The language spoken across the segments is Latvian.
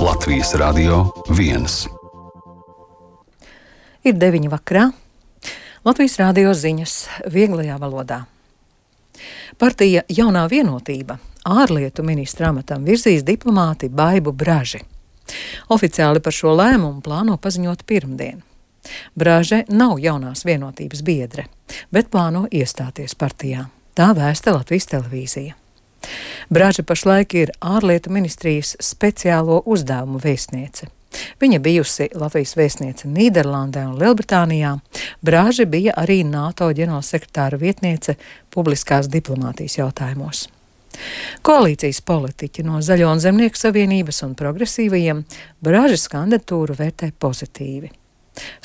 Latvijas Radio 1. Ir 9 vakarā. Latvijas radio ziņas vieglajā valodā. Partija Jaunā vienotība ārlietu ministra amatam virzīs diplomāti Baibu Braži. Oficiāli par šo lēmumu plāno paziņot pirmdien. Braže nav Jaunās vienotības biedre, bet plāno iestāties partijā. Tā vēsta Latvijas televīzija. Braže pašlaik ir ārlietu ministrijas speciālo uzdevumu vēstniece. Viņa bijusi Latvijas vēstniece Nīderlandē un Lielbritānijā. Braže bija arī NATO ģenerālsekretāra vietniece publiskās diplomātijas jautājumos. Koalīcijas politiķi no Zaļo un Zemnieku savienības un progresīvajiem Bražes kandidatūru vērtē pozitīvi.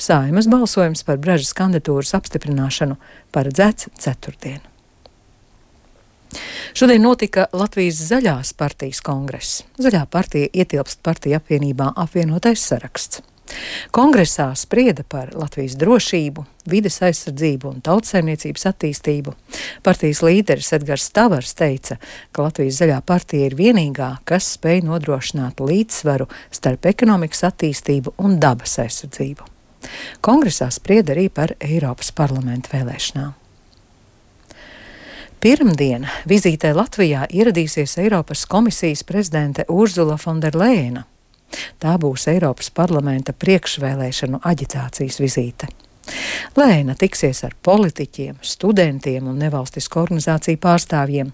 Saeimas balsojums par Bražes kandidatūras apstiprināšanu paredzēts ceturtdien. Šodien notika Latvijas Zaļās partijas kongress. Zaļā partija ietilpst partiju apvienībā Apvienotais saraksts. Kongresā sprieda par Latvijas drošību, vides aizsardzību un tautsaimniecības attīstību. Partijas līderis Edgars Tavars teica, ka Latvijas Zaļā partija ir vienīgā, kas spēj nodrošināt līdzsvaru starp ekonomikas attīstību un dabas aizsardzību. Kongresā sprieda arī par Eiropas parlamenta vēlēšanām. Pirmdien vizītē Latvijā ieradīsies Eiropas komisijas prezidente Urzula Fonderlejena. Tā būs Eiropas parlamenta priekšvēlēšanu aģitācijas vizīte. Lejena tiksies ar politiķiem, studentiem un nevalstisko organizāciju pārstāvjiem.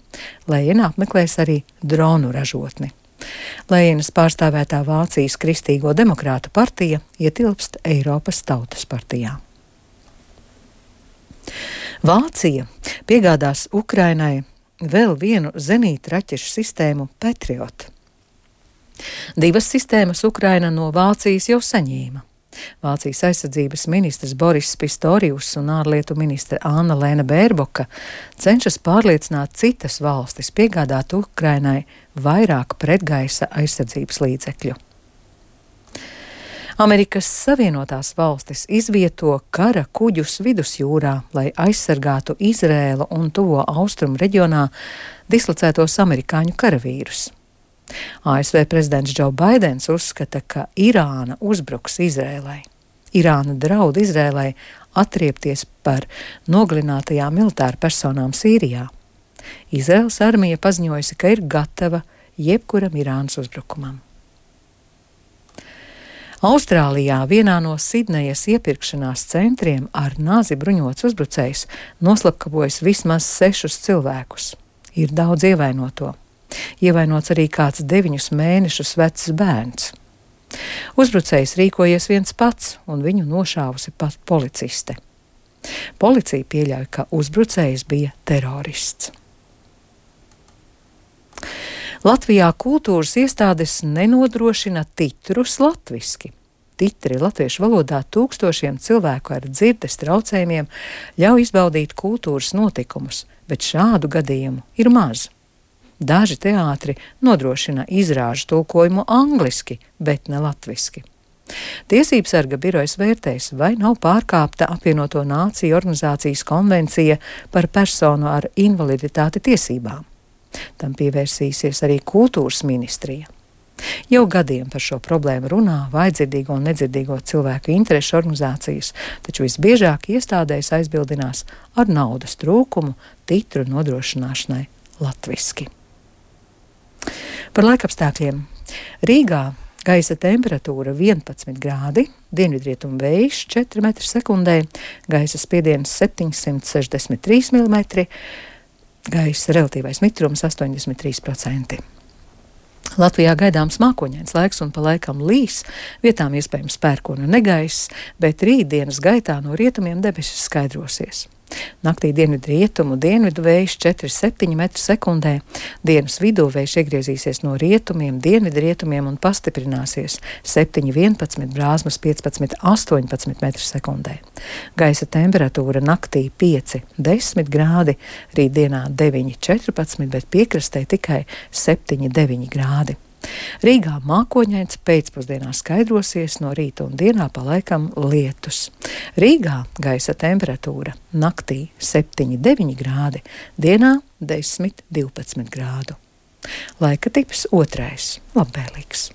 Lejena apmeklēs arī dronu ražotni. Lejenas pārstāvētā Vācijas Kristīgo demokrātu partija ietilpst Eiropas tautas partijā. Vācija piegādās Ukrainai vēl vienu zenītraķešu sistēmu Patriot. 2 sistēmas Ukraina no Vācijas jau saņēma. Vācijas aizsardzības ministrs Boris Pistorius un ārlietu ministre Anna-Lēna Bērboka cenšas pārliecināt citas valstis piegādāt Ukrainai vairāk pretgaisa aizsardzības līdzekļu. Amerikas Savienotās valstis izvieto kara kuģus vidusjūrā, lai aizsargātu Izrēlu un tuvo austrumu reģionā dislocētos amerikāņu karavīrus. ASV prezidents Džo Baidens uzskata, ka Irāna uzbruks Izrēlai. Irāna draud Izrēlai atriepties par nogalinātajām militāru personām Sīrijā. Izraēlas armija paziņojusi, ka ir gatava jebkuram Irānas uzbrukumam. Austrālijā vienā no Sidnejas iepirkšanās centriem ar nāzi bruņots uzbrucējs noslapkavojas vismaz 6 cilvēkus. Ir daudz ievainoto. Ievainots arī kāds 9 mēnešus vecs bērns. Uzbrucējs rīkojies viens pats un viņu nošāvusi pat policiste. Policija pieļauj, ka uzbrucējs bija terorists. Latvijā kultūras iestādes nenodrošina titrus latviski. Titri latviešu valodā tūkstošiem cilvēku ar dzirdes traucējumiem ļauj izbaudīt kultūras notikumus, bet šādu gadījumu ir maz. Daži teātri nodrošina izrāžu tulkojumu angliski, bet ne latviski. Tiesības sarga birojas vērtēs, vai nav pārkāpta Apvienoto Nāciju organizācijas konvencija par personu ar invaliditāti tiesībām. Tam pievērsīsies arī kultūras ministrija. Jau gadiem par šo problēmu runā vājdzirdīgo un nedzirdīgo cilvēku interešu organizācijas, taču visbiežāk iestādēs aizbildinās ar naudas trūkumu titru nodrošināšanai latviski. Par laikapstākļiem. Rīgā gaisa temperatūra 11 grādi, dienvidrietumu vējš 4 m/sekundē, gaisa spiediens 763 mm, gaisa relatīvais mitrums 83%. Latvijā gaidāms mākoņains laiks un pa laikam līs, vietām iespējams pērkona negaiss, bet rītdienas gaitā no rietumiem debesis skaidrosies. Naktī dienvidu vējš 4,7 m/sekundē, dienas vidū vējš iegriezīsies no rietumiem, dienvidu un pastiprināsies 7,11, brāzmas 15,18 m/sekundē. Gaisa temperatūra naktī 5,10 grādi, rītdienā 9,14, bet piekrastē tikai 7,9 grādi. Rīgā mākoņains, pēcpusdienā skaidrosies, no rīta un dienā pa laikam lietus. Rīgā gaisa temperatūra naktī 7,9 grādi, dienā 10,12 grādu. Laika tips 2. Labvēlīgs.